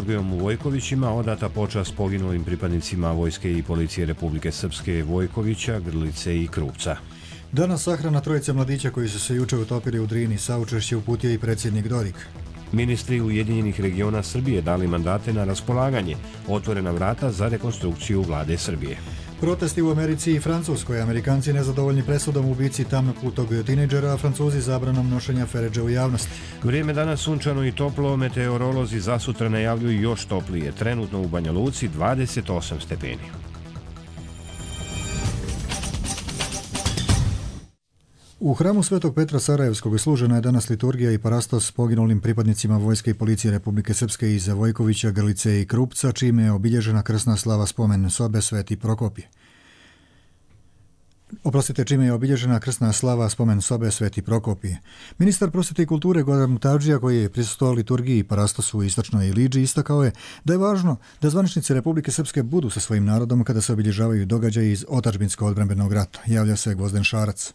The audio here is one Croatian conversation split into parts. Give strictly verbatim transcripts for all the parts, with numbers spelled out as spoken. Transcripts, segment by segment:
Srbijom u Vojkovićima odata počast poginulim pripadnicima Vojske i Policije Republike Srpske Vojkovića, Grlice i Krupca. Danas sahrana trojice mladića koji su se juče utopili u Drini. Saučešće uputio i predsjednik Dodik. Ministri Ujedinjenih regiona Srbije dali mandate na raspolaganje, otvorena vrata za rekonstrukciju vlade Srbije. Protesti u Americi i Francuskoj. Amerikanci nezadovoljni presudom ubici tamnoputog tinejdžera, a Francuzi zabranom nošenja feredže u javnosti. Vrijeme danas sunčano i toplo, meteorolozi za sutra najavljuju još toplije. Trenutno u Banja Luci dvadeset osam stepeni. U hramu Svetog Petra Sarajevskog služena je danas liturgija i parastos poginulim pripadnicima Vojske i Policije Republike Srpske iz Vojkovića, Grlice i Krupca, čime je obilježena krsna slava spomen sobe Sveti Prokopije. Oprostite, čime je obilježena krsna slava spomen sobe Sveti Prokopije. Ministar prosvjete i kulture Goran Mutavdžija, koji je prisustvovao liturgiji i parastosu u istočnoj Iliđi, istakao je da je važno da zvaničnici Republike Srpske budu sa svojim narodom kada se obilježavaju događaji iz otadžbinsko-odbrambenog rata. Javlja se Gvozden Šarac.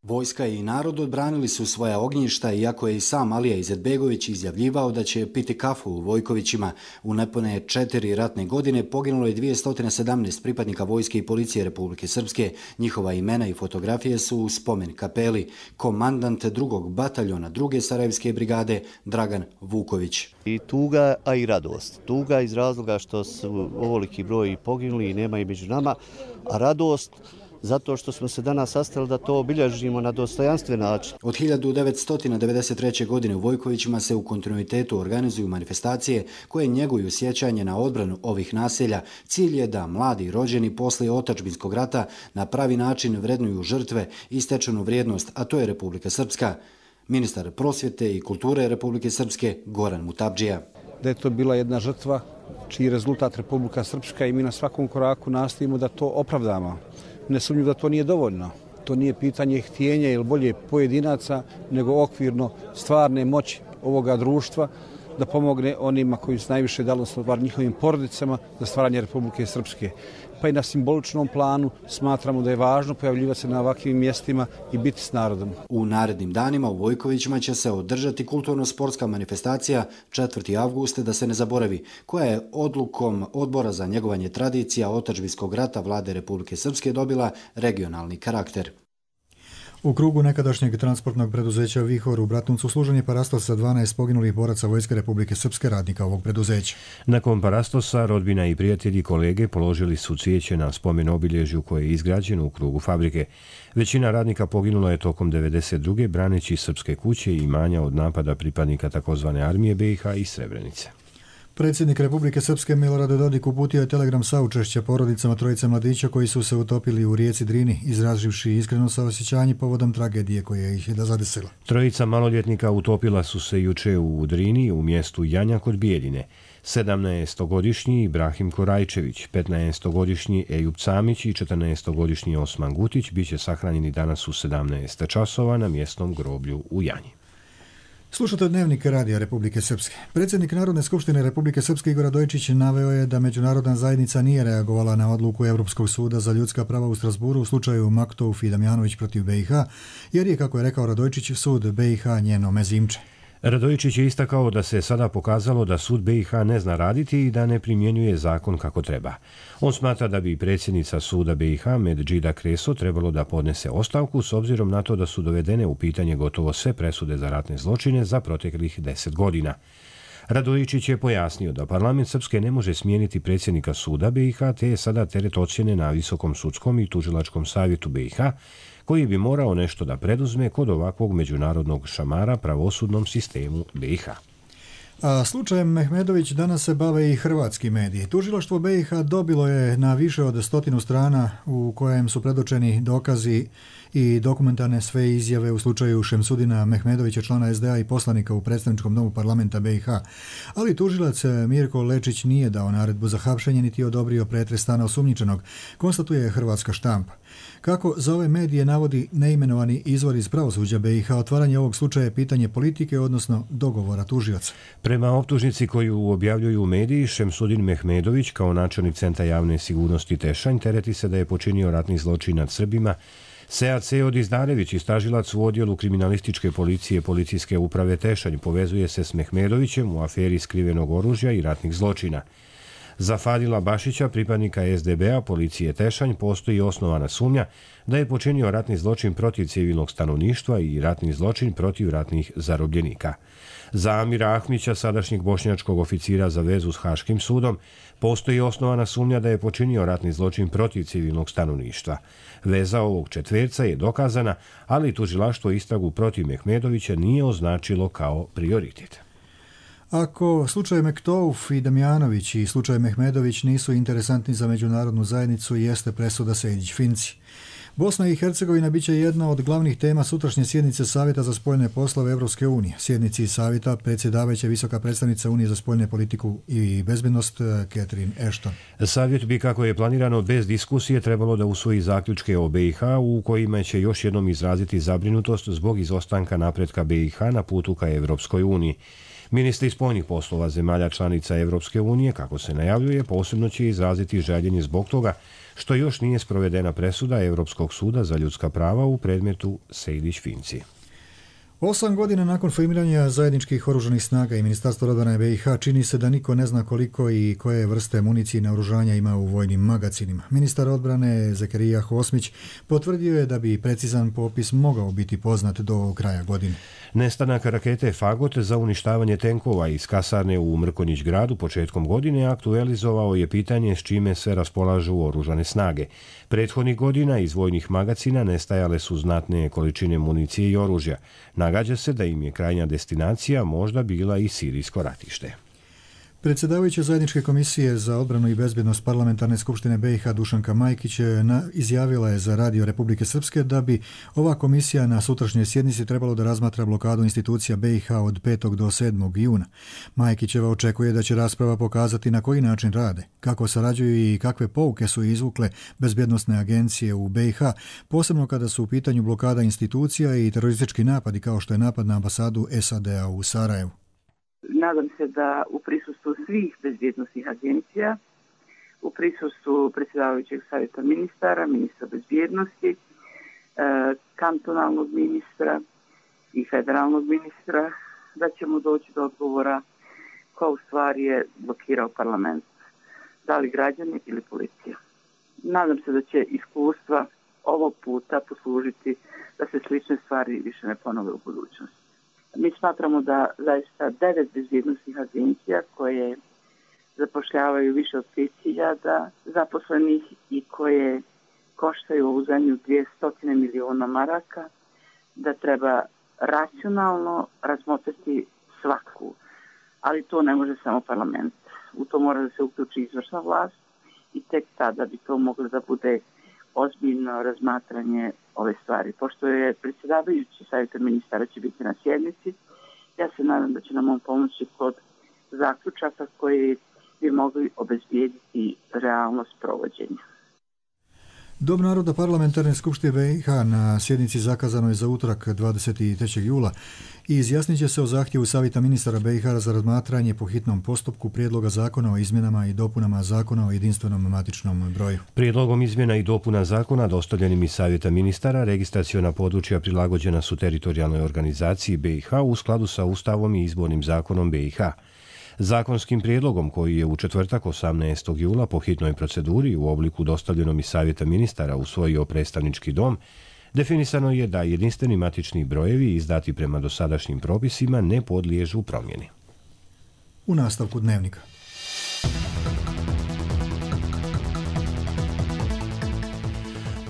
Vojska i narod odbranili su svoja ognjišta, iako je i sam Alija Izetbegović izjavljivao da će piti kafu u Vojkovićima. U nepune četiri ratne godine poginulo je dvjesto sedamnaest pripadnika Vojske i Policije Republike Srpske. Njihova imena i fotografije su u spomen kapeli. Komandant drugog bataljona druge Sarajevske brigade Dragan Vuković. I tuga, a i radost. Tuga iz razloga što su ovoliki broj poginuli i nema i među nama, a radost zato što smo se danas sastali da to obilježimo na dostojanstven način. Od hiljadu devetsto devedeset treće. godine u Vojkovićima se u kontinuitetu organizuju manifestacije koje njeguju sjećanje na odbranu ovih naselja. Cilj je da mladi rođeni posle otadžbinskog rata na pravi način vrednuju žrtve i stečenu vrijednost, a to je Republika Srpska. Ministar prosvjete i kulture Republike Srpske Goran Mutavdžija. Da je to bila jedna žrtva čiji rezultat Republika Srpska i mi na svakom koraku nastojimo da to opravdamo. Nesumnjivo da to nije dovoljno. To nije pitanje htjenja ili bolje pojedinaca, nego okvirno stvarne moći ovoga društva da pomogne onima koji su najviše dali, odnosno njihovim porodicama, za stvaranje Republike Srpske. Pa i na simboličnom planu smatramo da je važno pojavljivati se na ovakvim mjestima i biti s narodom. U narednim danima u Vojkovićima će se održati kulturno-sportska manifestacija četvrti avgust, da se ne zaboravi, koja je odlukom Odbora za njegovanje tradicija otadžbinskog rata vlade Republike Srpske dobila regionalni karakter. U krugu nekadašnjeg transportnog preduzeća Vihor u Bratuncu služen je parastos sa dvanaest poginulih boraca Vojske Republike Srpske, radnika ovog preduzeća. Nakon parastosa rodbina i prijatelji kolege položili su cvijeće na spomen obilježju koje je izgrađeno u krugu fabrike. Većina radnika poginula je tokom devedeset druge braneći srpske kuće i imanja od napada pripadnika takozvane armije B i H i Srebrenice. Predsjednik Republike Srpske Milorad Dodik uputio je telegram saučešća porodicama trojice mladića koji su se utopili u rijeci Drini, izrazivši iskreno saosjećanje povodom tragedije koja ih je zadesila. Trojica maloljetnika utopila su se juče u Drini u mjestu Janja kod Bijeljine. sedamnaestogodišnji Ibrahim Korajčević, petnaestogodišnji Ejub Camić i četrnaestogodišnji Osman Gutić biće sahranjeni danas u sedamnaest časova na mjesnom groblju u Janji. Slušate Dnevnik Radija Republike Srpske. Predsjednik Narodne skupštine Republike Srpske Igor Radojičić naveo je da međunarodna zajednica nije reagovala na odluku Europskog suda za ljudska prava u Strasburu u slučaju Maktouf i Damjanović protiv B i H, jer je, kako je rekao Radojičić, sud B i H njeno mezimče. Radojičić je istakao da se sada pokazalo da sud B i H ne zna raditi i da ne primjenjuje zakon kako treba. On smatra da bi predsjednica suda B i H Medžida Kreso trebalo da podnese ostavku s obzirom na to da su dovedene u pitanje gotovo sve presude za ratne zločine za proteklih deset godina. Radojičić je pojasnio da parlament Srpske ne može smijeniti predsjednika suda B i H, te je sada teret ocjene na Visokom sudskom i tužilačkom savjetu B i H, koji bi morao nešto da preduzme kod ovakvog međunarodnog šamara pravosudnom sistemu B i H. A slučajem Mehmedović danas se bave i hrvatski mediji. Tužilaštvo B i H dobilo je na više od stotinu strana u kojem su predočeni dokazi i dokumentarne sve izjave u slučaju Šemsudina Mehmedovića, člana S D A i poslanika u predstavničkom domu parlamenta B i H. Ali tužilac Mirko Lečić nije dao naredbu za hapšenje niti odobrio pretres stana osumnjičenog, konstatuje hrvatska štampa. Kako za ove medije navodi neimenovani izvor iz pravosuđa B i H, otvaranje ovog slučaja je pitanje politike, odnosno dogovora tužioca. Prema optužnici koju objavljuju mediji, Šemsudin Mehmedović kao načelnik Centra javne sigurnosti Tešanj tereti se da je počinio ratni zločin nad Srbima Sead Seod Izdarević, istražilac u odjelu kriminalističke policije Policijske uprave Tešanj, povezuje se s Mehmedovićem u aferi skrivenog oružja i ratnih zločina. Za Fadila Bašića, pripadnika es de be a policije Tešanj, postoji osnovana sumnja da je počinio ratni zločin protiv civilnog stanovništva i ratni zločin protiv ratnih zarobljenika. Za Amira Ahmića, sadašnjeg bošnjačkog oficira za vezu s Haškim sudom, postoji osnovana sumnja da je počinio ratni zločin protiv civilnog stanovništva. Veza ovog četverca je dokazana, ali tužilaštvo istragu protiv Mehmedovića nije označilo kao prioritet. Ako slučaj Mektouf i Damjanović i slučaj Mehmedović nisu interesantni za međunarodnu zajednicu, jeste presuda Sejdić-Finci. Bosna i Hercegovina biće jedna od glavnih tema sutrašnje sjednice Savjeta za spoljne poslove Evropske unije. Sjednici Savjeta predsjedavajuća visoka predstavnica Unije za spoljne politiku i bezbednost Catherine Ashton. Savjet bi, kako je planirano, bez diskusije trebalo da usvoji zaključke o be i ha u kojima će još jednom izraziti zabrinutost zbog izostanka napretka be i ha na putu ka Evropskoj uniji. Ministri spoljnih poslova zemalja članica Evropske unije, kako se najavljuje, posebno će izraziti žaljenje zbog toga što još nije sprovedena presuda Evropskog suda za ljudska prava u predmetu Sejdić-Finci. Osam godina nakon formiranja zajedničkih oružanih snaga i Ministarstva odbrane be i ha čini se da niko ne zna koliko i koje vrste municije i naoružanja ima u vojnim magacinima. Ministar odbrane Zekerija Hosmić potvrdio je da bi precizan popis mogao biti poznat do kraja godine. Nestanak rakete Fagot za uništavanje tenkova iz kasarne u Mrkonjić gradu početkom godine aktualizovao je pitanje s čime se raspolažu oružane snage. Prethodnih godina iz vojnih magacina nestajale su znatne količine municije i oružja. Nagađa se da im je krajnja destinacija možda bila i sirijsko ratište. Predsjedavajuća zajedničke komisije za odbranu i bezbjednost parlamentarne skupštine be i ha Dušanka Majkić izjavila je za Radio Republike Srpske da bi ova komisija na sutrašnjoj sjednici trebalo da razmatra blokadu institucija be i ha od petog do sedmog juna. Majkićeva očekuje da će rasprava pokazati na koji način rade, kako sarađuju i kakve pouke su izvukle bezbjednosne agencije u be i ha, posebno kada su u pitanju blokada institucija i teroristički napadi kao što je napad na ambasadu es a de a u Sarajevu. Nadam se da u prisustvu svih bezbjednosnih agencija, u prisustvu predsjedavajućeg savjeta ministara, ministra bezbjednosti, kantonalnog ministra i federalnog ministra, da ćemo doći do odgovora ko u stvari je blokirao parlament, da li građani ili policija. Nadam se da će iskustva ovog puta poslužiti da se slične stvari više ne ponove u budućnosti. Mi smatramo da zaista devet bezbjednosnih agencija koje zapošljavaju više od pet hiljada zaposlenih i koje koštaju ovu zemlju dvjesto miliona maraka, da treba racionalno razmotriti svaku. Ali to ne može samo parlament. U to mora da se uključi izvršna vlast i tek tada bi to moglo da bude ozbiljno razmatranje ove stvari. Pošto je predsjedavajući savjeta ministara će biti na sjednici, ja se nadam da će nam on pomoći kod zaključaka koji bi mogli obezbijediti realnost provođenja. Dom naroda parlamentarne skupštine be i ha na sjednici zakazanoj za utorak dvadeset trećeg jula i izjasnit će se o zahtjevu savjeta ministara be i ha za razmatranje po hitnom postupku prijedloga zakona o izmjenama i dopunama zakona o jedinstvenom matičnom broju. Prijedlogom izmjena i dopuna zakona dostavljenim iz savjeta ministara registraciona područja prilagođena su teritorijalnoj organizaciji be i ha u skladu sa Ustavom i izbornim zakonom be i ha. Zakonskim prijedlogom koji je u četvrtak osamnaestog jula po hitnoj proceduri u obliku dostavljenom iz savjeta ministara usvojio predstavnički dom, definisano je da jedinstveni matični brojevi izdati prema dosadašnjim propisima ne podliježu promjeni. U nastavku dnevnika.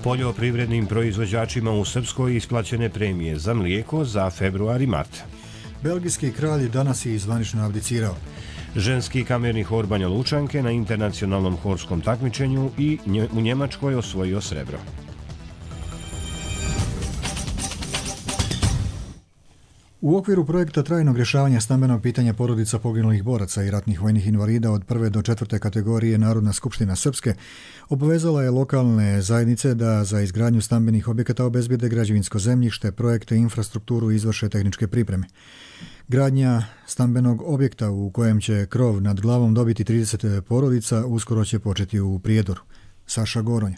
Poljoprivrednim proizvođačima u Srpskoj isplaćene premije za mlijeko za februar i mart. Belgijski kralj danas je zvanično abdicirao. Ženski kamerni hor Banja Lučanke na internacionalnom horskom takmičenju i u Njemačkoj osvojio srebro. U okviru projekta trajnog rješavanja stambenog pitanja porodica poginulih boraca i ratnih vojnih invalida od prve do četvrte kategorije Narodna skupština Srpske obavezala je lokalne zajednice da za izgradnju stambenih objekata obezbijede građevinsko zemljište, projekte i infrastrukturu i izvrše tehničke pripreme. Gradnja stambenog objekta u kojem će krov nad glavom dobiti trideset porodica uskoro će početi u Prijedoru. Saša Goronja.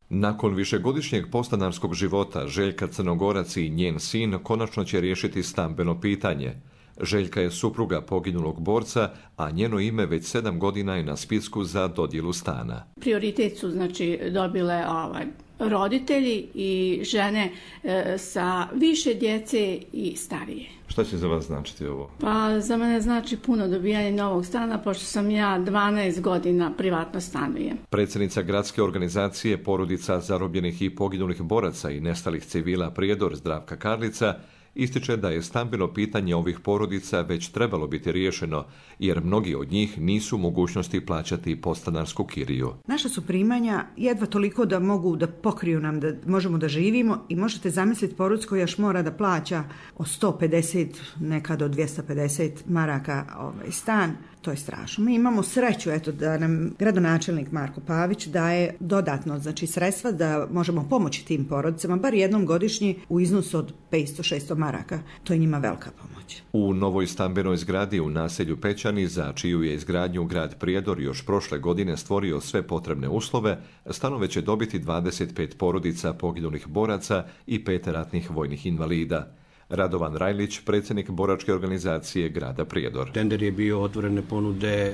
Nakon višegodišnjeg podstanarskog života, Željka Crnogorac i njen sin konačno će riješiti stambeno pitanje. Željka je supruga poginulog borca, a njeno ime već sedam godina je na spisku za dodjelu stana. Prioritet su znači dobile ovaj, roditelji i žene e, sa više djece i starije. Šta će za vas značiti ovo? Pa za mene znači puno dobijanje novog stana, pošto sam ja dvanaest godina privatno stanujem. Predsjednica gradske organizacije Porodica zarobljenih i poginulih boraca i nestalih civila Prijedor Zdravka Karlica ističe da je stambeno pitanje ovih porodica već trebalo biti riješeno, jer mnogi od njih nisu u mogućnosti plaćati podstanarsku kiriju. Naša su primanja jedva toliko da mogu da pokriju nam, da možemo da živimo, i možete zamisliti porodicu koja još mora da plaća od sto pedeset, nekad do dvjesto pedeset maraka ovaj stan. To je strašno. Mi imamo sreću eto, da nam gradonačelnik Marko Pavić daje dodatno znači, sredstva da možemo pomoći tim porodicama, bar jednom godišnji u iznosu od petsto do šesto maraka. To je njima velika pomoć. U novoj stambenoj zgradi u naselju Pećani, za čiju je izgradnju grad Prijedor još prošle godine stvorio sve potrebne uslove, stanove će dobiti dvadeset pet porodica poginulih boraca i pet ratnih vojnih invalida. Radovan Rajlić, predsjednik boračke organizacije grada Prijedor. Tender je bio, otvorene ponude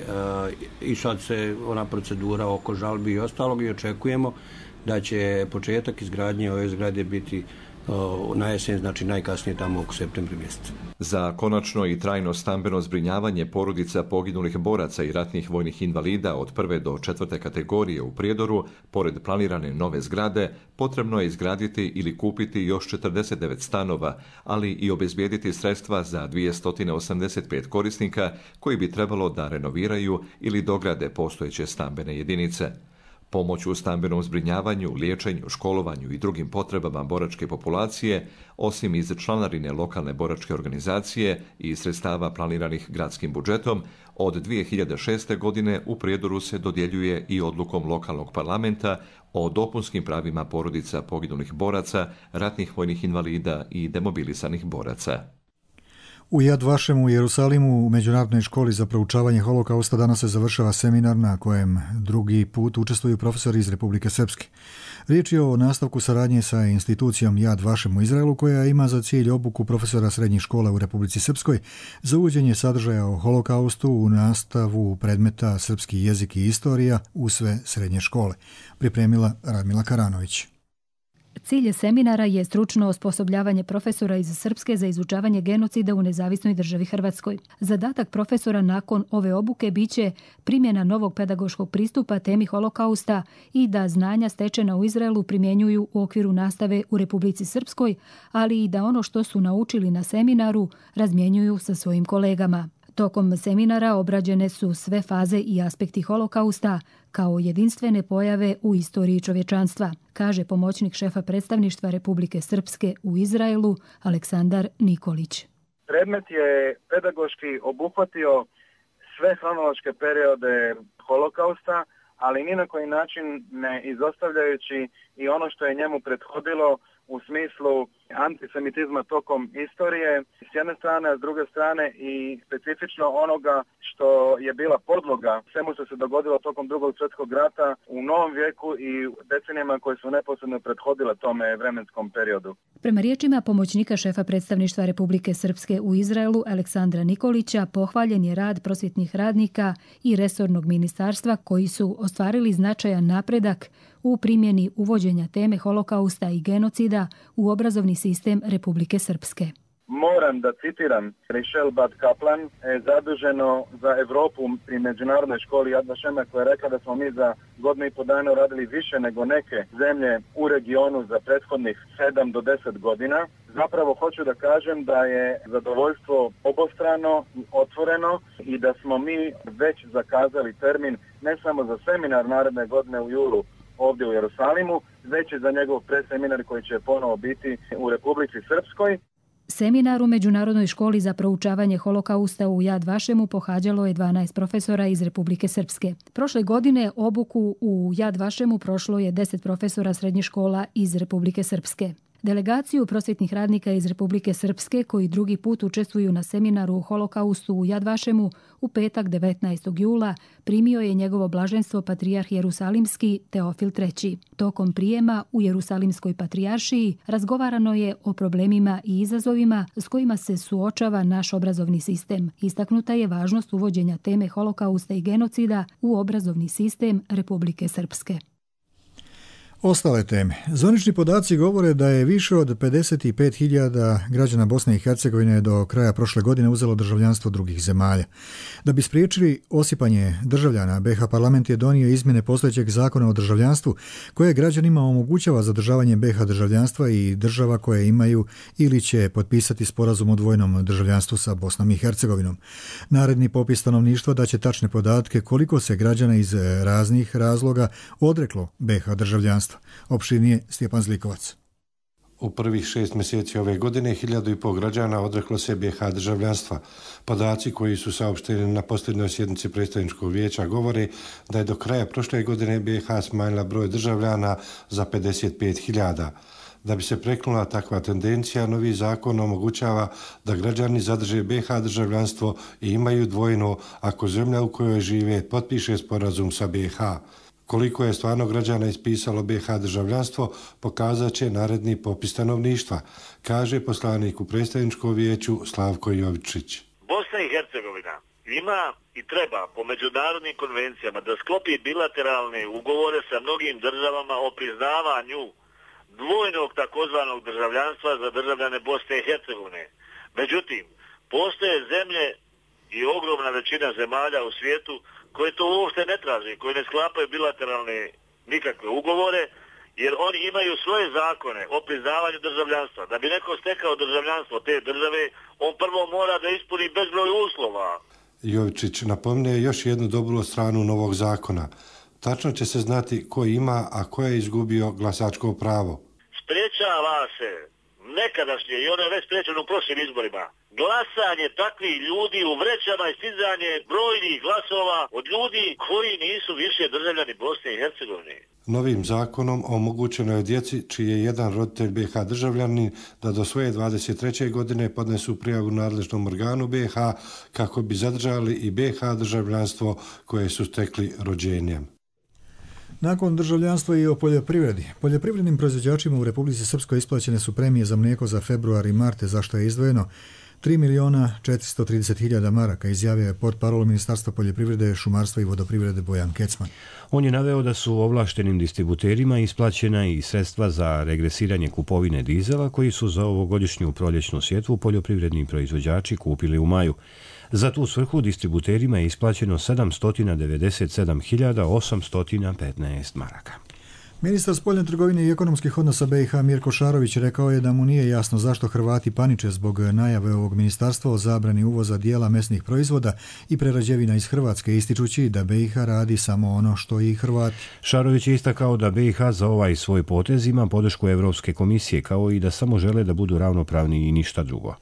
i sad se ona procedura oko žalbi i ostalog i očekujemo da će početak izgradnje ove zgrade biti na jesen, znači najkasnije tamo oko septembra mjeseca. Za konačno i trajno stambeno zbrinjavanje porodica poginulih boraca i ratnih vojnih invalida od prve do četvrte kategorije u Prijedoru, pored planirane nove zgrade, potrebno je izgraditi ili kupiti još četrdeset devet stanova, ali i obezbijediti sredstva za dvjesto osamdeset pet korisnika koji bi trebalo da renoviraju ili dograde postojeće stambene jedinice. Pomoć u stambenom zbrinjavanju, liječenju, školovanju i drugim potrebama boračke populacije, osim iz članarine lokalne boračke organizacije i sredstava planiranih gradskim budžetom, od dvije hiljade šeste. godine u Prijedoru se dodjeljuje i odlukom lokalnog parlamenta o dopunskim pravima porodica poginulih boraca, ratnih vojnih invalida i demobilisanih boraca. U Jad Vašemu u Jerusalimu u Međunarodnoj školi za proučavanje holokausta danas se završava seminar na kojem drugi put učestvuju profesori iz Republike Srpske. Riječ je o nastavku saradnje sa institucijom Jad Vašem u Izraelu, koja ima za cilj obuku profesora srednjih škola u Republici Srpskoj za uvođenje sadržaja o holokaustu u nastavu predmeta srpski jezik i istorija u sve srednje škole. Pripremila Radmila Karanović. Cilj seminara je stručno osposobljavanje profesora iz Srpske za izučavanje genocida u nezavisnoj državi Hrvatskoj. Zadatak profesora nakon ove obuke biće primjena novog pedagoškog pristupa temi holokausta i da znanja stečena u Izraelu primjenjuju u okviru nastave u Republici Srpskoj, ali i da ono što su naučili na seminaru razmjenjuju sa svojim kolegama. Tokom seminara obrađene su sve faze i aspekti holokausta kao jedinstvene pojave u istoriji čovječanstva, kaže pomoćnik šefa predstavništva Republike Srpske u Izraelu Aleksandar Nikolić. Predmet je pedagoški obuhvatio sve hronološke periode holokausta, ali ni na koji način ne izostavljajući i ono što je njemu prethodilo u smislu antisemitizma tokom istorije s jedne strane, a s druge strane i specifično onoga što je bila podloga svemu što se dogodilo tokom drugog svjetskog rata u novom vijeku i decenijama koje su neposredno prethodile tome vremenskom periodu. Prema riječima pomoćnika šefa predstavništva Republike Srpske u Izraelu Aleksandra Nikolića, pohvaljen je rad prosvjetnih radnika i resornog ministarstva koji su ostvarili značajan napredak u primjeni uvođenja teme holokausta i genocida u obrazovni sistem Republike Srpske. Moram da citiram Richelle Bad Kaplan, zaduženo za Evropu pri Međunarodnoj školi Jad Vašema, koja je rekla da smo mi za godinu i po dana uradili više nego neke zemlje u regionu za prethodnih sedam do deset godina. Zapravo hoću da kažem da je zadovoljstvo obostrano i otvoreno i da smo mi već zakazali termin ne samo za seminar naredne godine u julu ovdje u Jerusalimu, već i za njegov predseminar koji će ponovo biti u Republici Srpskoj. Seminar u Međunarodnoj školi za proučavanje holokausta u Jad Vašemu pohađalo je dvanaest profesora iz Republike Srpske. Prošle godine obuku u Jad Vašemu prošlo je deset profesora srednjih škola iz Republike Srpske. Delegaciju prosvjetnih radnika iz Republike Srpske koji drugi put učestvuju na seminaru o holokaustu u Yad Vašemu u petak devetnaestog jula primio je njegovo blaženstvo patrijarh Jerusalimski Teofil treći. Tokom prijema u Jerusalimskoj patrijaršiji razgovarano je o problemima i izazovima s kojima se suočava naš obrazovni sistem. Istaknuta je važnost uvođenja teme holokausta i genocida u obrazovni sistem Republike Srpske. Ostale teme. Zvanični podaci govore da je više od pedeset pet hiljada građana Bosne i Hercegovine do kraja prošle godine uzelo državljanstvo drugih zemalja. Da bi spriječili osipanje državljana, B iH parlament je donio izmjene postojećeg zakona o državljanstvu koje građanima omogućava zadržavanje B iH državljanstva i država koje imaju ili će potpisati sporazum o dvojnom državljanstvu sa Bosnom i Hercegovinom. Naredni popis stanovništva daće tačne podatke koliko se građana iz raznih razloga odreklo B iH državljanstva. Opširnije Stjepan Zlikovac. U prvih šest mjeseci ove godine hiljadu i pol građana odreklo se B iH državljanstva. Podaci koji su saopšteni na posljednjoj sjednici predstavničkog vijeća govore da je do kraja prošle godine B iH smanjila broj državljana za pedeset pet hiljada. Da bi se prekinula takva tendencija, novi zakon omogućava da građani zadrže B iH državljanstvo i imaju dvojno ako zemlja u kojoj žive potpiše sporazum sa B iH. Koliko je stvarno građana ispisalo B iH državljanstvo, pokazat će naredni popis stanovništva, kaže poslanik u predstavničkom vijeću Slavko Jovičić. Bosna i Hercegovina ima i treba po međunarodnim konvencijama da sklopi bilateralne ugovore sa mnogim državama o priznavanju dvojnog takozvanog državljanstva za državljane Bosne i Hercegovine. Međutim, postoje zemlje i ogromna većina zemalja u svijetu koje to uopšte ne traže, koje ne sklapaju bilateralne nikakve ugovore, jer oni imaju svoje zakone o priznavanju državljanstva. Da bi neko stekao državljanstvo te države, on prvo mora da ispuni bezbroj uslova. Jovičić napomne još jednu dobru stranu novog zakona. Tačno će se znati ko ima, a ko je izgubio glasačko pravo. Sprečava se nekadašnje, i ono je već sprečeno u prošlim izborima, glasanje takvih ljudi u vrećama i stizanje brojnih glasova od ljudi koji nisu više državljani Bosne i Hercegovine. Novim zakonom omogućeno je djeci čiji je jedan roditelj B iH državljanin da do svoje dvadeset treće godine podnesu prijavu nadležnom organu B iH kako bi zadržali i B iH državljanstvo koje su stekli rođenjem. Nakon državljanstva i o poljoprivredi. Poljoprivrednim proizvođačima u Republici Srpskoj isplaćene su premije za mlijeko za februar i mart, za što je izdvojeno tri milijuna četiristo trideset hiljada maraka, izjavio je portparol Ministarstva poljoprivrede, šumarstva i vodoprivrede Bojan Kecman. On je naveo da su ovlaštenim distributerima isplaćena i sredstva za regresiranje kupovine dizela koji su za ovogodišnju proljećnu sjetvu poljoprivredni proizvođači kupili u maju. Za tu svrhu distributerima je isplaćeno sedamsto devedeset sedam hiljada osamsto petnaest maraka. Ministar spoljne trgovine i ekonomskih odnosa B iH Mirko Šarović rekao je da mu nije jasno zašto Hrvati paniče zbog najave ovog ministarstva o zabrani uvoza dijela mesnih proizvoda i prerađevina iz Hrvatske, ističući da B iH radi samo ono što i Hrvati. Šarović je istakao da B iH za ovaj svoj potez ima podršku Evropske komisije, kao i da samo žele da budu ravnopravni i ništa drugo.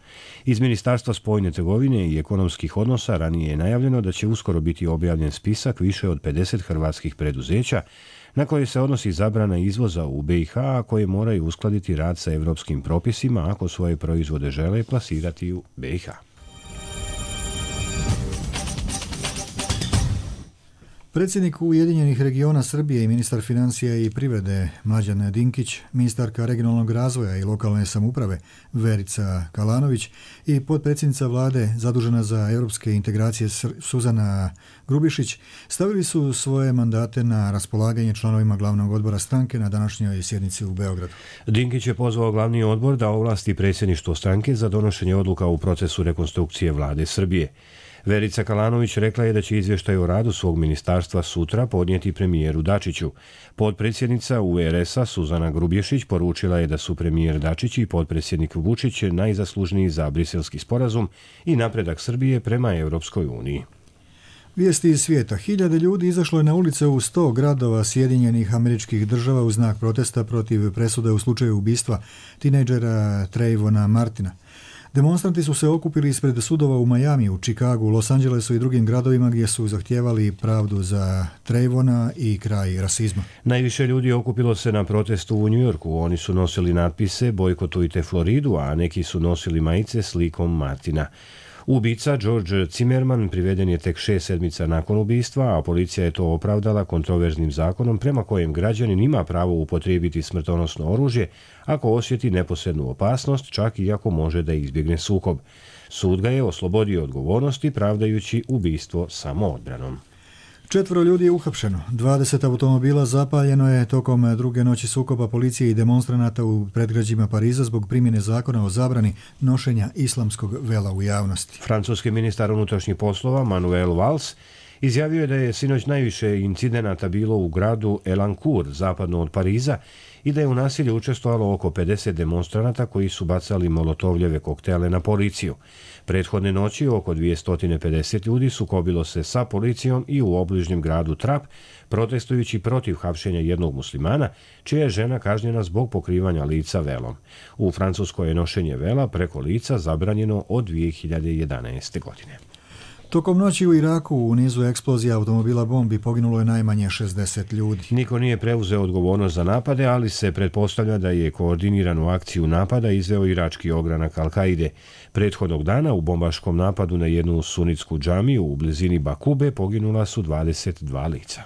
Iz Ministarstva spoljne trgovine i ekonomskih odnosa ranije je najavljeno da će uskoro biti objavljen spisak više od pedeset hrvatskih preduzeća na koje se odnosi zabrana izvoza u B iH, a koje moraju uskladiti rad sa evropskim propisima ako svoje proizvode žele plasirati u B iH. Predsjednik Ujedinjenih regiona Srbije i ministar financija i privrede Mlađan Dinkić, ministarka regionalnog razvoja i lokalne samouprave Verica Kalanović i potpredsjednica vlade zadužena za europske integracije Suzana Grubišić stavili su svoje mandate na raspolaganje članovima glavnog odbora stranke na današnjoj sjednici u Beogradu. Dinkić je pozvao glavni odbor da ovlasti predsjedništvo stranke za donošenje odluka u procesu rekonstrukcije vlade Srbije. Verica Kalanović rekla je da će izvještaj o radu svog ministarstva sutra podnijeti premijeru Dačiću. Potpredsjednica U R S-a Suzana Grubješić poručila je da su premijer Dačić i potpredsjednik Vučić najzaslužniji za briselski sporazum i napredak Srbije prema Europskoj uniji. Vijesti iz svijeta. Hiljade ljudi izašlo je na ulice u sto gradova Sjedinjenih Američkih Država u znak protesta protiv presude u slučaju ubistva tinejdžera Trayvona Martina. Demonstranti su se okupili ispred sudova u Majamiju, Čikagu, Los Angelesu i drugim gradovima gdje su zahtijevali pravdu za Trayvona i kraj rasizma. Najviše ljudi okupilo se na protestu u Njujorku. Oni su nosili natpise "Bojkotujte Floridu", a neki su nosili majice s likom Martina. Ubica George Zimmerman priveden je tek šest sedmica nakon ubistva, a policija je to opravdala kontroverznim zakonom prema kojem građanin ima pravo upotrijebiti smrtonosno oružje ako osjeti neposrednu opasnost, čak i ako može da izbjegne sukob. Sud ga je oslobodio odgovornosti pravdajući ubistvo samoodbranom. Četvoro ljudi je uhapšeno. dvadeset automobila zapaljeno je tokom druge noći sukoba policije i demonstranata u predgrađima Pariza zbog primjene zakona o zabrani nošenja islamskog vela u javnosti. Francuski ministar unutrašnjih poslova Manuel Valls izjavio je da je sinoć najviše incidenata bilo u gradu Elancourt, zapadno od Pariza, i da je u nasilju učestvovalo oko pedeset demonstranata koji su bacali molotovljeve koktele na policiju. Prethodne noći oko dvjesto pedeset ljudi sukobilo se sa policijom i u obližnjem gradu Trap, protestujući protiv hapšenja jednog muslimana, čija je žena kažnjena zbog pokrivanja lica velom. U Francuskoj je nošenje vela preko lica zabranjeno od dvije hiljade jedanaeste. godine. Tokom noći u Iraku u nizu eksplozija automobila bombi poginulo je najmanje šezdeset ljudi. Niko nije preuzeo odgovornost za napade, ali se pretpostavlja da je koordiniranu akciju napada izveo irački ogranak Al-Kaide. Prethodnog dana u bombaškom napadu na jednu sunitsku džamiju u blizini Bakube poginula su dvadeset dva lica.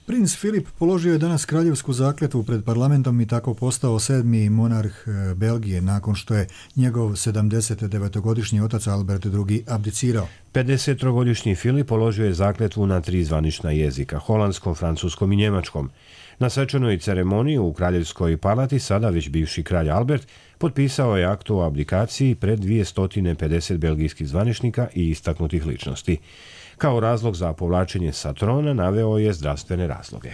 Princ Filip položio je danas kraljevsku zakletvu pred parlamentom i tako postao sedmi monarh Belgije nakon što je njegov sedamdesetdevetogodišnji otac Albert drugi abdicirao. pedesettrogodišnji Filip položio je zakletvu na tri zvanična jezika, holandskom, francuskom i njemačkom. Na svečanoj ceremoniji u kraljevskoj palati sada već bivši kralj Albert potpisao je akt o abdikaciji pred dvjesto pedeset belgijskih zvaničnika i istaknutih ličnosti. Kao razlog za povlačenje sa trona naveo je zdravstvene razloge.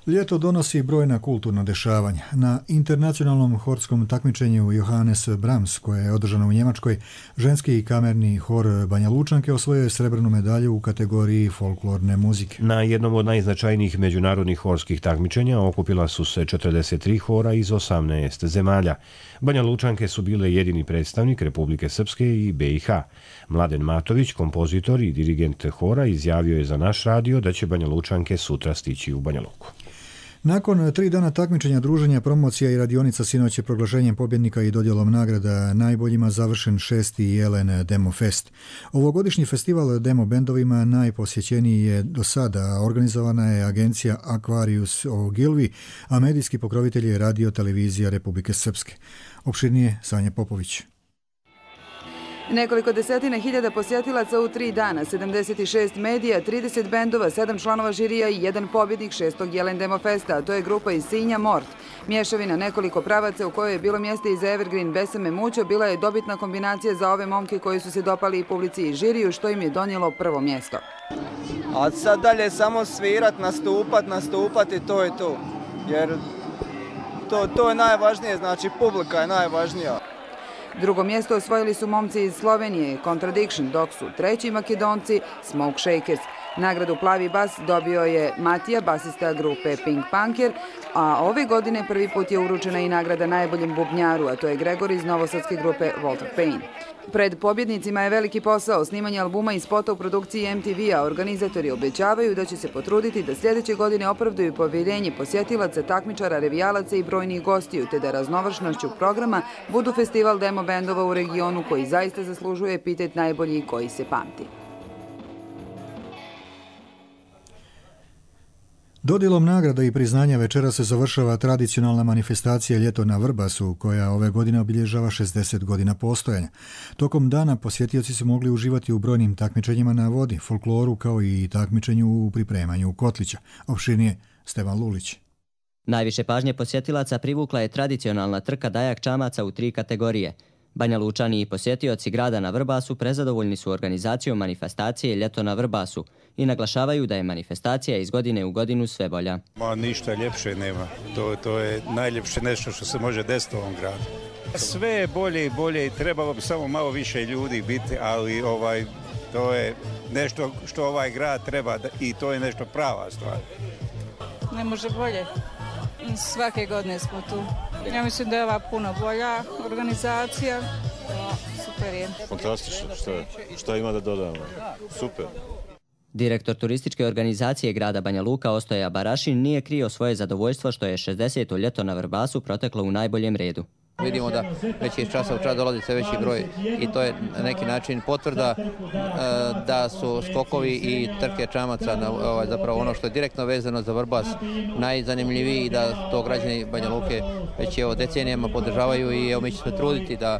Ljeto donosi brojna kulturna dešavanja. Na internacionalnom horskom takmičenju Johannes Brahms, koje je održano u Njemačkoj, ženski i kamerni hor Banja Lučanke osvojio je srebrnu medalju u kategoriji folklorne muzike. Na jednom od najznačajnijih međunarodnih horskih takmičenja okupila su se četrdeset tri hora iz osamnaest zemalja. Banja Lučanke su bile jedini predstavnik Republike Srpske i be i ha. Mladen Matović, kompozitor i dirigent hora, izjavio je za naš radio da će Banja Lučanke sutra stići u Banja Luku. Nakon tri dana takmičenja, druženja, promocija i radionica, sinoć je proglašenjem pobjednika i dodjelom nagrada najboljima završen šesti Jelen Demo Fest. Ovogodišnji festival demo bendovima najposjećeniji je do sada. Organizovana je agencija Aquarius Ogilvy, a medijski pokrovitelj je Radio Televizija Republike Srpske. Opširnije Sanja Popović. Nekoliko desetina hiljada posjetilaca u tri dana, sedamdeset šest medija, trideset bendova, sedam članova žirija i jedan pobjednik šestog Jelen Demo Festa, a to je grupa iz Sinja Mort. Mješavina nekoliko pravaca u kojoj je bilo mjesta i za Evergreen Besame Mućo bila je dobitna kombinacija za ove momke koji su se dopali i publici i žiriju, što im je donijelo prvo mjesto. A sad dalje samo svirat, nastupat, nastupat i to je to. Jer to, to je najvažnije, znači publika je najvažnija. Drugo mjesto osvojili su momci iz Slovenije, Contradiction, dok su treći Makedonci, Smoke Shakers. Nagradu Plavi bas dobio je Matija, basista grupe Pink Punker, a ove godine prvi put je uručena i nagrada najboljem bubnjaru, a to je Gregor iz novosadske grupe Walter Payne. Pred pobjednicima je veliki posao, snimanje albuma i spota u produkciji em te ve-a. Organizatori obećavaju da će se potruditi da sljedeće godine opravdaju povjerenje posjetilaca, takmičara, revijalaca i brojnih gostiju, te da raznovršnošću programa budu festival demo bendova u regionu koji zaista zaslužuje epitet najbolji koji se pamti. Dodjelom nagrada i priznanja večera se završava tradicionalna manifestacija Ljeto na Vrbasu, koja ove godine obilježava šezdeset godina postojanja. Tokom dana posjetioci su mogli uživati u brojnim takmičenjima na vodi, folkloru, kao i takmičenju u pripremanju kotlića. Opširnije Stevan Lulić. Najviše pažnje posjetilaca privukla je tradicionalna trka dajak čamaca u tri kategorije. Banja Lučani i posjetioci grada na Vrbasu prezadovoljni su organizacijom manifestacije Ljeto na Vrbasu i naglašavaju da je manifestacija iz godine u godinu sve bolja. Ma ništa ljepše nema. To, to je najljepše nešto što se može desiti u ovom gradu. Sve je bolje i bolje i trebalo bi samo malo više ljudi biti, ali ovaj, to je nešto što ovaj grad treba i to je nešto prava stvar. Ne može bolje. Svake godine smo tu. Ja mislim da je ova puno bolja organizacija. Super. eksperijent. Fantastično, šta, šta ima da dodamo? Super. Direktor turističke organizacije grada Banja Luka Ostoja Barašin nije krio svoje zadovoljstvo što je šezdeseto ljeto na Vrbasu proteklo u najboljem redu. Vidimo da već iz časa u čas dolazi sve veći broj i to je na neki način potvrda da su skokovi i trke čamaca zapravo ono što je direktno vezano za Vrbas najzanimljiviji i da to građani Banja Luke već evo decenijama podržavaju i evo mi ćemo se truditi da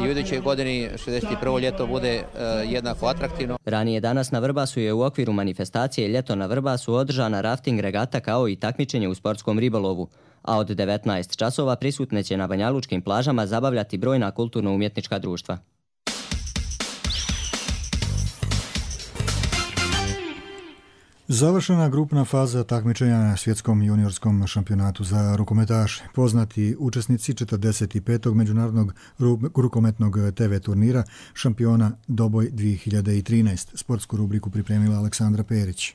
i u idućoj godini šezdeset prvo ljeto bude jednako atraktivno. Ranije danas na Vrbasu je u okviru manifestacije Ljeto na Vrbasu održana rafting regata kao i takmičenje u sportskom ribolovu, a od devetnaest časova prisutne će na banjalučkim plažama zabavljati brojna kulturno-umjetnička društva. Završena grupna faza takmičenja na svjetskom juniorskom šampionatu za rukometaše. Poznati učesnici četrdeset petog međunarodnog rukometnog te ve turnira šampiona Doboj dvije hiljade trinaest. Sportsku rubriku pripremila Aleksandra Perić.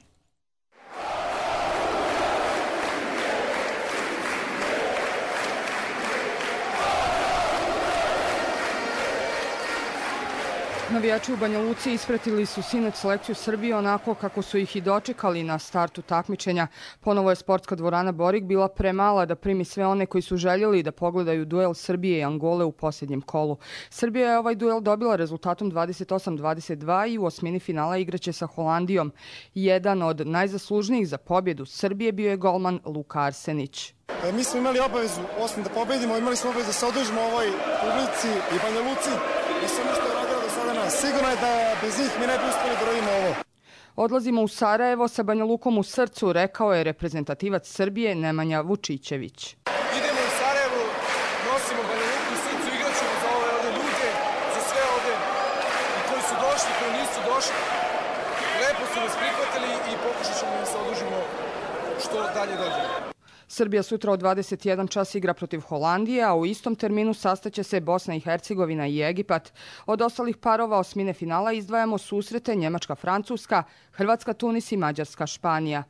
Navijači u Banja Luci ispratili su sinoć selekciju Srbije onako kako su ih i dočekali na startu takmičenja. Ponovo je sportska dvorana Borik bila premala da primi sve one koji su željeli da pogledaju duel Srbije i Angole u posljednjem kolu. Srbija je ovaj duel dobila rezultatom dvadeset osam dvadeset dva i u osmini finala igraće sa Holandijom. Jedan od najzaslužnijih za pobjedu Srbije bio je golman Luka Arsenić. Mi smo imali obavezu, osim da pobedimo, imali smo obavezu da se odužimo ovoj publici i Banja Luci i sve ono što je radila do sada nas. Sigurno je da bez njih mi ne bi uspjeli da radimo ovo. Odlazimo u Sarajevo sa Banja Lukom u srcu, rekao je reprezentativac Srbije Nemanja Vučićević. Idemo u Sarajevo, nosimo Banja Luku u srcu, igrat ćemo za ove ovdje ljude, za sve ovdje i koji su došli, koji nisu došli. Lepo su nas prihvatili i pokušat ćemo da se odužimo što dalje dođe. Srbija sutra od dvadeset jedan čas igra protiv Holandije, a u istom terminu sastaće se Bosna i Hercegovina i Egipat. Od ostalih parova osmine finala izdvajamo susrete Njemačka-Francuska, Hrvatska-Tunis i Mađarska-Španija.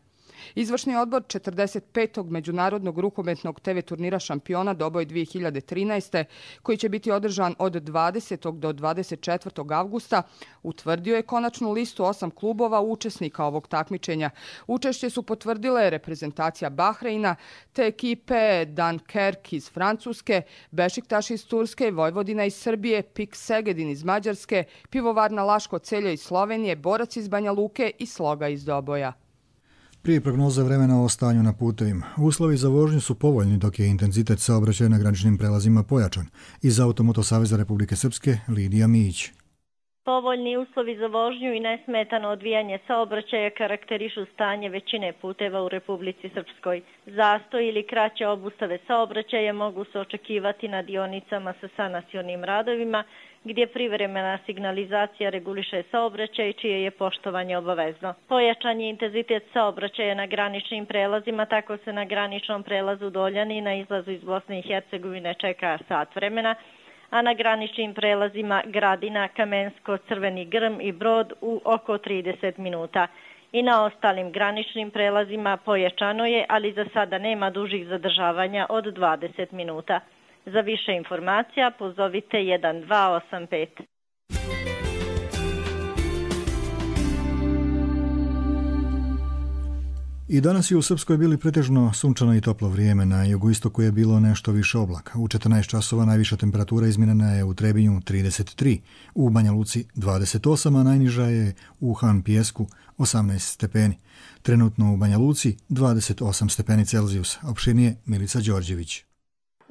Izvršni odbor četrdeset petog međunarodnog rukometnog te ve turnira šampiona Doboj dvije hiljade trinaest. koji će biti održan od dvadesetog do dvadeset četvrtog avgusta, utvrdio je konačnu listu osam klubova učesnika ovog takmičenja. Učešće su potvrdile reprezentacija Bahreina, te ekipe Dunkerque iz Francuske, Bešiktaš iz Turske, Vojvodina iz Srbije, Pik Segedin iz Mađarske, Pivovarna Laško Celje iz Slovenije, Borac iz Banja Luke i Sloga iz Doboja. Prije prognoze vremena o stanju na putevima. Uslovi za vožnju su povoljni dok je intenzitet saobraćaja na graničnim prelazima pojačan. Iz Automoto Saveza Republike Srpske, Lidija Mijić. Povoljni uslovi za vožnju i nesmetano odvijanje saobraćaja karakterišu stanje većine puteva u Republici Srpskoj. Zastoj ili kraće obustave saobraćaja mogu se očekivati na dionicama sa sanacionim radovima, gdje privremena signalizacija reguliše saobraćaj čije je poštovanje obavezno. Pojačan je intenzitet saobraćaja na graničnim prelazima, tako se na graničnom prelazu Doljani na izlazu iz Bosne i Hercegovine čeka sat vremena, a na graničnim prelazima Gradina, Kamensko, Crveni Grm i Brod u oko trideset minuta. I na ostalim graničnim prelazima pojačano je, ali za sada nema dužih zadržavanja od dvadeset minuta. Za više informacija pozovite jedan dva osam pet. I danas je u Srpskoj bili pretežno sunčano i toplo vrijeme. Na jugoistoku je bilo nešto više oblaka. U četrnaest časova najviša temperatura izmjerena je u Trebinju trideset tri, u Banja Luci dvadeset osam, a najniža je u Han Pijesku osamnaest stepeni. Trenutno u Banja Luci dvadeset osam stepeni Celzijusa. Opširnije Milica Đorđević.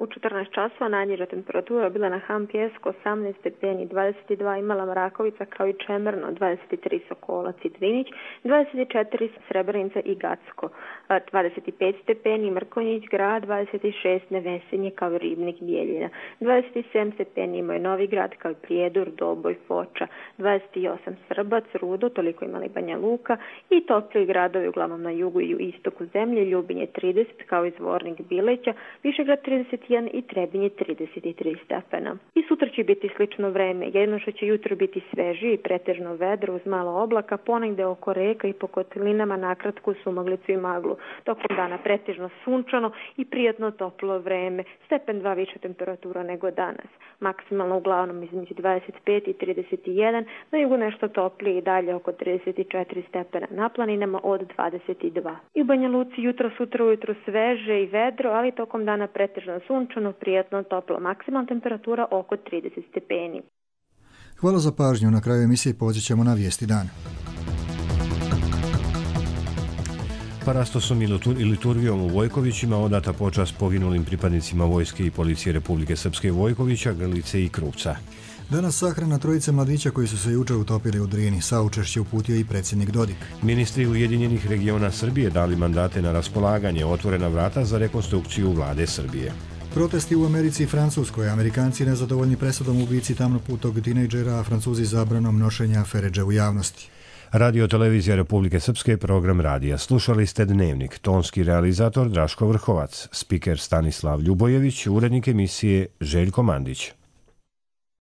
U četrnaest časova najniža temperatura bila na Han Pijesku osamnaest stepeni, dvadeset dva Imala Mrakovica kao i Čemerno, dvadeset tri Sokolac i Drinić, dvadeset četiri Srebrenica i Gacko, dvadeset pet stepeni Mrkonjić grad, dvadeset šest Nevesenje kao i Ribnik Bijeljina, dvadeset sedam stepeni imao je Novi grad kao i Prijedor, Doboj, Foča, dvadeset osam Srbac, Rudo, toliko imali Banja Luka i topliji gradovi uglavnom na jugu i istoku zemlje, Ljubinje trideset kao i Zvornik Bileća, Višegrad trideset jedan i Trebinje trideset tri stepena. I sutra će biti slično vreme, jedino što će jutro biti svežije i pretežno vedro uz malo oblaka, ponegde oko reka i po kotelinama nakratku sumaglicu i maglu. Tokom dana pretežno sunčano i prijatno toplo vreme, stepen dva više temperatura nego danas. Maksimalno uglavnom između dvadeset pet i trideset jedan, na jugu nešto toplije i dalje oko trideset četiri stepena, na planinama od dvadeset dva. I u Banja Luci jutro, sutra ujutro sveže i vedro, ali tokom dana pretežno sunčano, prijatno toplo, maksimalna temperatura oko trideset stepeni. Hvala za pažnju. Na kraju emisije poći ćemo na vijesti dana. Parastosom i liturgijom u Vojkovićima odata počast poginulim pripadnicima vojske i policije Republike Srpske Vojkovića, Grlice i Krupca. Danas sahrana trojice mladića koji su se juče utopili u Drini. Saučešće uputio i predsjednik Dodik. Ministri Ujedinjenih regiona Srbije dali mandate na raspolaganje, otvorena vrata za rekonstrukciju vlade Srbije. Protesti u Americi i Francuskoj. Amerikanci nezadovoljni presudom ubici tamnoputog tinejdžera, a Francuzi zabranom nošenja feredže u javnosti. Radio televizija Republike Srpske, program radija. Slušali ste Dnevnik, tonski realizator Draško Vrhovac, spiker Stanislav Ljubojević, urednik emisije Željko Mandić.